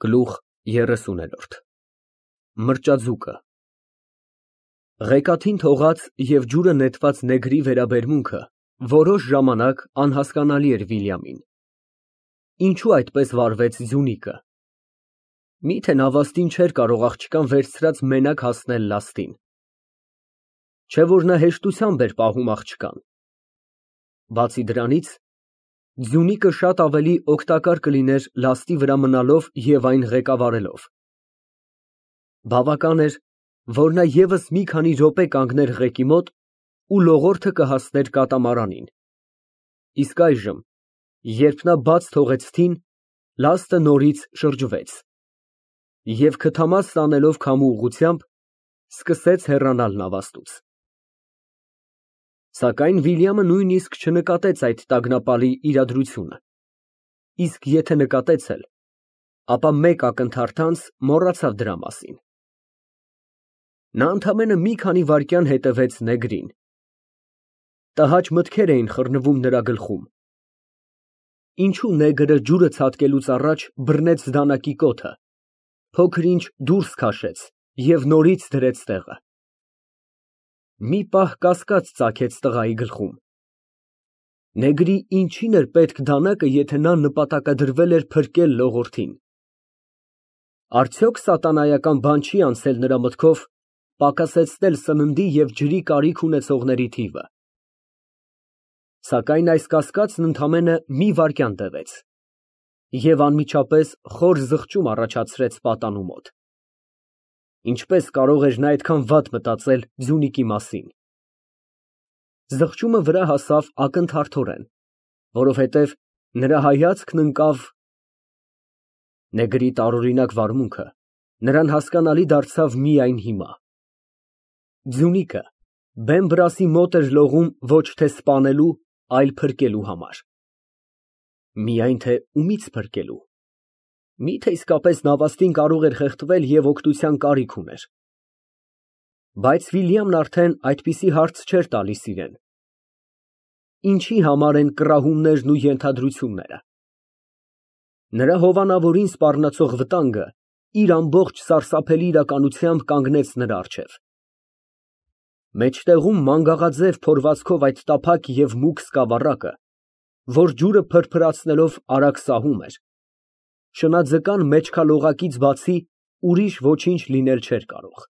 Գլուխ 30 Մրճաձուկը Ղեկաթին թողած և ջուրը նետված նեգրի վերաբերմունքը որոշ ժամանակ անհասկանալի էր Վիլյամին. ինչո՞ւ այդպես վարվեց ձյունիկը, միթե նավաստին չէր կարող աղջկան վերցրած մենակ հասնել լաստին, չէ՞ որ նա հեշտությամբ էր պահում աղջկան, բացի դրանից, ձյունիկը շատ ավելի օգտակար կլիներ լաստի վրա մնալով և այն ղեկավարելով, բավական էր, որ նա ևս մի քանի րոպե կանգներ ղեկի մոտ ու լողորդը կհասներ կատամարանին, իսկ այժմ, երբ նա բաց թողեց թին, լաստը նորից շրջվեց և քթամաս տանելով քամու ուղղությամբ, սկսեց հեռանալ նավաստուց, սակայն Վիլյամը նույնիսկ չնկատեց այդ տագնապալի իրադրությունը, իսկ եթե նկատեց էլ, ապա մեկ ակնթարթ անց մոռացավ դրա մասին, նա ընդամենը մի քանի վայրկյան հետևեց նեգրին, տհաճ մտքեր էին խռնվում նրա գլխում, ինչո՞ւ նեգրը ջուրը ցատկելուց առաջ բռնեց դանակի կոթը, փոքր-ինչ դուրս քաշեց և նորից դրեց տեղը, մի պահ կասկած ծագեց տղայի գլխում, նեգրի ինչի՞ն էր պետք դանակը, եթե նա նպատակադրվել էր փրկել լողորդին, արդյոք սատանայական բան չի անցել նրա մտքով պակասեցնել սննդի և ջրի կարիք ունեցողների թիվը, սակայն այս կասկածն ընդամենը մի վայրկյան տևեց և անմիջապես խոր զղջում առաջացրեց պատանու մոտ, ինչպես կարող էր նա այդքան վատ մտածել ձյունիկի մասին, զղջումը վրա հասավ ակնթարթորեն, որովհետև նրա հայացքն ընկավ նեգրի տարօրինակ վարմունքը նրան հասկանալի դարձավ միայն հիմա, ձյունիկը բեն֊բրասի մոտ էր լողում ոչ թե սպանելու, այլ փրկելու համար, միայն թե ումի՞ց փրկելու, միթե իսկապես նավաստին կարող էր խեղդվել և օգնության կարիք ուներ, բայց Վիլյամն արդեն այդպիսի հարց չէր տալիս իրան, ինչի համար են կռահումներն ու ենթադրությունները, նրա հովանավորին սպառնացող վտանգը իր ամբողջ սարսափելի իրականությամբ կանգնեց նրա առջև, մեջտեղում մանգաղաձև փորվածքով այդ տափակ և մուգ սկավառակը, որ ջուրը փրփրացնելով արագ սահում էր, շնաձկան մեջքալողակից բացի ուրիշ ոչինչ լինել չէր կարող,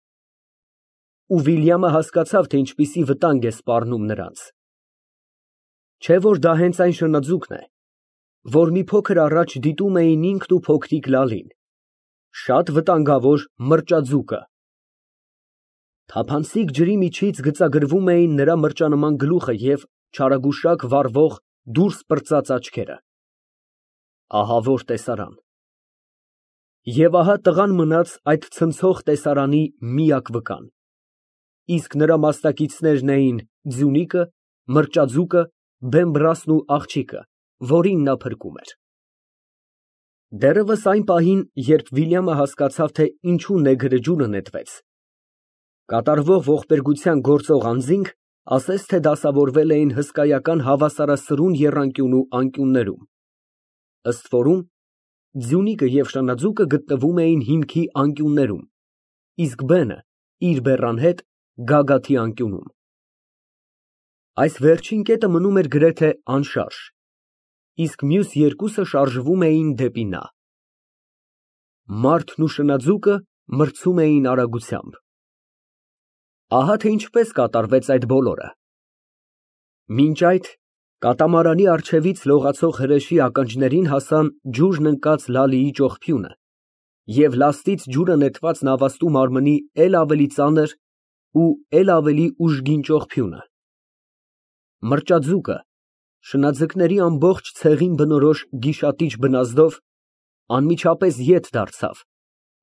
ու Վիլյամը հասկացավ, թե ինչպիսի վտանգ է սպառնում նրանց, չէ՞ որ դա հենց այն շնաձուկն է, որ մի փոքր առաջ դիտում էին ինքն ու փոքրիկ Լալին, շատ վտանգավոր մրճաձուկը, թափանցիկ ջրի միջից գծագրվում էին նրա մրճանման գլուխը և չարագուշակ վառվող դուրս պրծած աչքերը, ահավոր տեսարան, և ահա տղան մնաց այդ ցնցող տեսարանի միակ վկան, իսկ նրա մասնակիցներն էին ձյունիկը, մրճաձուկը, բեն֊բրասն ու աղջիկը, որին նա փրկում էր, դեռևս այն պահին, երբ Վիլյամը հասկացավ, թե ինչու նեգրը ջուրը նետվեց, կատարվող ողբերգության գործող անձինք ասես թե դասավորվել էին հսկայական հավասարասրուն եռանկյունու անկյուններում, ըստ որում ձյունիկը և շնաձուկը գտնվում էին հիմքի անկյուններում, իսկ բենը իր բեռան հետ գագաթի անկյունում, այս վերջին կետը մնում էր գրեթե անշարժ, իսկ մյուս երկուսը շարժվում էին դեպի նա, մարդն ու շնաձուկը մրցում էին արագությամբ, ահա թե ինչպես կատարվեց այդ բոլորը, մինչ այդ կատամարանի առջևից լողացող հրեշի ականջներին հասան ջուրն ընկած Լալիի ճողփյունը և լաստից ջուրը նետված նավաստու մարմնի էլ ավելի ծանր ու էլ ավելի ուժգին ճողփյունը, մրճաձուկը շնաձկների ամբողջ ցեղին բնորոշ գիշատիչ բնազդով անմիջապես ետ դարձավ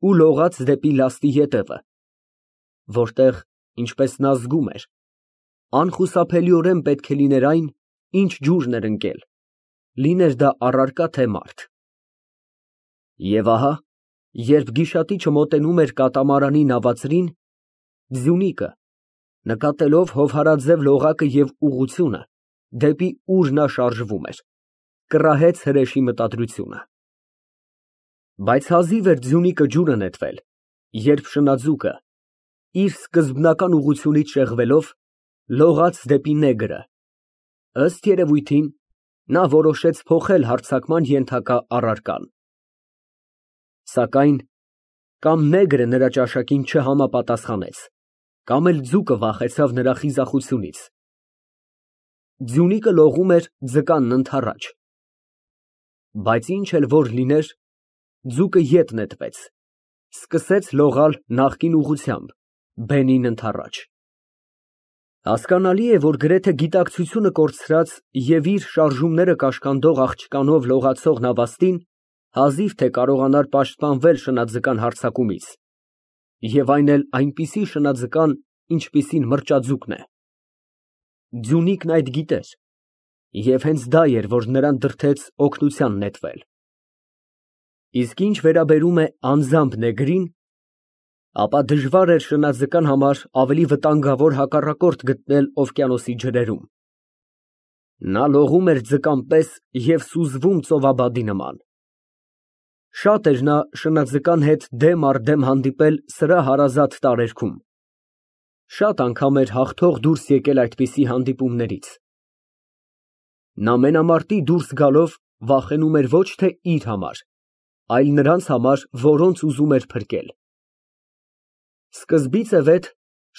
ու լողաց դեպի լաստի ետևը, որտեղ, ինչպես նա զգում էր, անխուսափելիորեն պետք է լիներ այն, ինչ ջուրն էր ընկել, լիներ դա առարկա, թե մարդ, և ահա, երբ գիշատիչը մոտենում էր կատամարանի նավածրին, ձյունիկը, նկատելով հովհարաձև լողակը և ուղղությունը, դեպի ուր նա շարժվում էր, կռահեց հրեշի մտադրությունը, Բայց հազիվ էր ձյունիկը ջուրը նետվել, երբ շնաձուկը, իր սկզբնական ուղղությունից շեղվելով, լողաց դեպի նեգրը։ Ըստ երևույթին, նա որոշեց փոխել հարձակման ենթակա առարկան։ Սակայն կամ նեգրը նրա ճաշակին չհամապատասխանեց, կամ էլ ձուկը վախեցավ նրա խիզախությունից։ Ձյունիկը լողում էր ձկանն ընդառաջ։ Բայց ինչ էլ որ լիներ, ձուկը ետ նետվեց, սկսեց լողալ նախկին ուղղությամբ, բենին ընդառաջ։ Հասկանալի է, որ գրեթե գիտակցությունը կորցրած և իր շարժումները կաշկանդող աղջկանով լողացող Նավաստին հազիվ թե կարողանար պաշտպանվել շնաձկան հարձակումից, և այն էլ այնպիսի շնաձկան, ինչպիսին մրճաձուկն է։ Ձյունիկն այդ գիտեր, և հենց դա էր, որ նրան դրդեց օգնության նետվել։ Իսկ ինչ վերաբերում է անձամբ նեգրին, ապա դժվար էր շնաձկան համար ավելի վտանգավոր հակառակորդ գտնել օվկիանոսի ջրերում։ Նա լողում էր ձկան պես և սուզվում ծովաբադի նման։ Շատ էր նա շնաձկան հետ դեմ առ դեմ հանդիպել սրա հարազատ տարերքում։ Շատ անգամ էր հաղթող դուրս եկել այդպիսի հանդիպումներից։ Նա մենամարտի դուրս գալով վախենում էր ոչ թե իր համար, այլ նրանց համար, որոնց ուզում էր փրկել։ Սկզբից ի վեր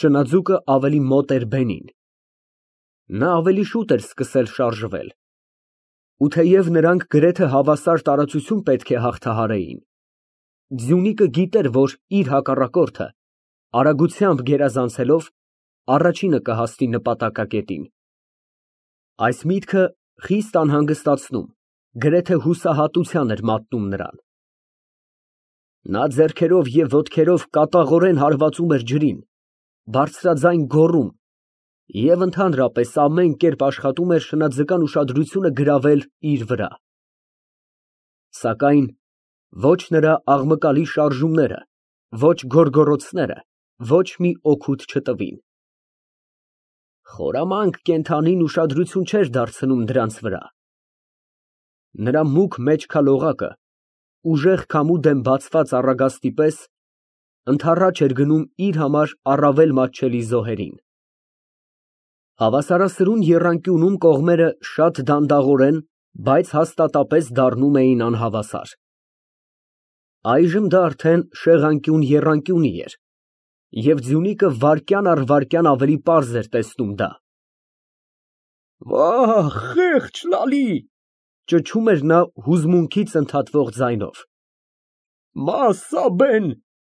շնաձուկը ավելի մոտ էր բենին։ Նա ավելի շուտ էր սկսել շարժվել։ Ու թեև նրանք գրեթե հավասար տարածություն պետք է հաղթահարեին, ձյունիկը գիտեր, որ իր հակառակորդը, արագությամբ գերազանցելով, առաջինը կհասնի նպատակակետին։ Այս միտքը խիստ անհանգստացնում, գրեթե հուսահատության էր մատնում նրան։ Նա ձեռքերով և ոտքերով կատաղորեն հարվածում էր ջրին, բարձրաձայն գոռում և ընդհանրապես ամեն կերպ աշխատում էր շնաձկան ուշադրությունը գրավել իր վրա։ Սակայն ոչ նրա աղմկալի շարժումները, ոչ գոռգոռոցները ոչ մի օգուտ չտվին։ Խորամանկ կենդանին ուշադրություն չէր դարձնում դրանց վրա։ Նրա մուգ մեջքալողակը, ուժեղ քամու դեմ բացված առագաստի պես, ընդառաջ էր գնում իր համար առավել մատչելի զոհերին։ Հավասարասրուն եռանկյունում կողմերը շատ դանդաղորեն, բայց հաստատապես դառնում էին անհավասար։ Այժմ դա արդեն շեղանկյուն էր, և ձյունիկը վայրկյան առ վայրկյան ավելի պարզ էր տեսնում դա։ «Վա՜, խեղճ Լալի», ճչում էր նա հուզմունքից ընդհատվող ձայնով։ «Մասսաբեն,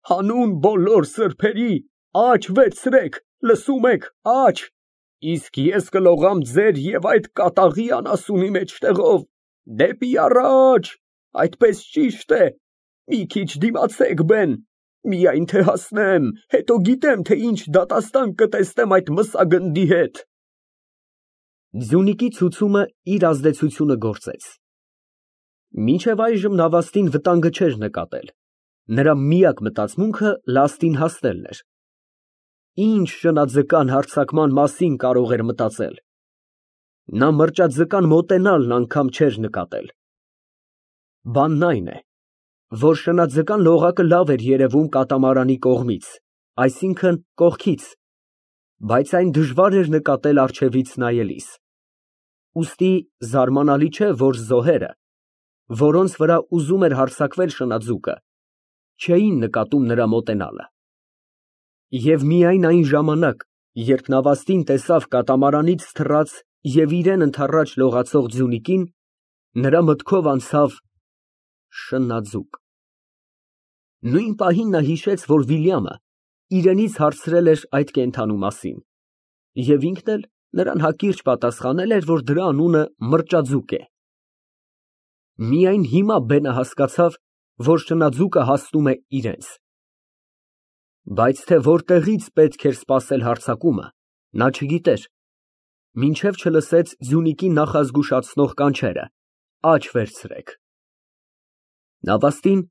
հանուն բոլոր սրբերի, աջ վերցրեք, լսում եք, աջ, իսկ ես կլողամ ձեր և այդ կատաղի անասունի մեջտեղով, դեպի առաջ, այդպես ճիշտ է, մի քիչ դիմացեք, բեն, միայն թե հասնեմ, հետո գիտեմ, թե ինչ դատաստան կտեսնեմ այդ մսագնդի հետ»։ Ձյունիկի ցուցումը իր ազդեցությունը գործեց։ Մինչև այժմ Նավաստին վտանգը չէր նկատել, նրա միակ մտածմունքը լաստին հասնելն էր։ Ինչ շնաձկան հարձակման մասին կարող էր մտածել։ Նա մրճաձկան մոտենալն անգամ չէր նկատել։ Բանն այն է, որ շնաձկան լողակը լավ էր երևում կատամարանի կողմից, այսինքն՝ կողքից, բայց այն դժվար էր նկատել առջևից նայելիս։ Ուստի զարմանալի չէ, որ զոհերը, որոնց վրա ուզում էր հարձակվել շնաձուկը, չէին նկատում նրա մոտենալը։ Եվ միայն այն ժամանակ, երբ Նավաստին տեսավ կատամարանից թռած և իրան ընդառաջ լողացող ձյունիկին, նրա մտքով անցավ շնաձուկ։ Նույն պահին նա հիշեց, որ Վիլյամը իրենից հարցրել էր այդ կենդանու մասին, և ինքն էլ նրան հակիրճ պատասխանել էր, որ դրա անունը մրճաձուկ է։ Միայն հիմա բենը հասկացավ, որ շնաձուկը հասնում է իրենց։ Բայց թե որտեղից պետք էր սպասել հարձակումը, նա չգիտեր, մինչև չլսեց ձյունիկի նախազգուշացնող կանչերը. «Աջ վերցրեք»։ Նավաստին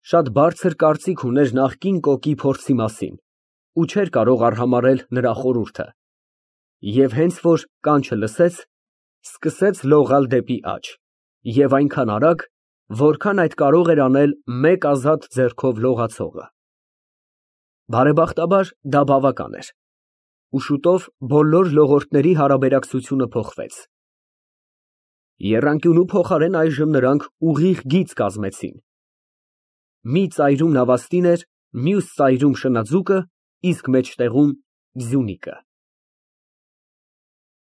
շատ բարձր կարծիք ուներ նախկին կոկի փորձի մասին ու չէր կարող արհամարհել նրա խորհուրդը, և հենց որ կանչը լսեց, սկսեց լողալ դեպի աջ, և այնքան արագ, Որքան այդ կարող էր անել մեկ ազատ ձեռքով լողացողը։ Բարեբախտաբար դա բավական էր, ու շուտով բոլոր լողորդների հարաբերակցությունը փոխվեց։ Եռանկյունու փոխարեն այժմ նրանք ուղիղ գիծ կազմեցին. մի ծայրում նավաստին էր, մյուս ծայրում շնաձուկը, իսկ մեջտեղում՝ Ձյունիկը։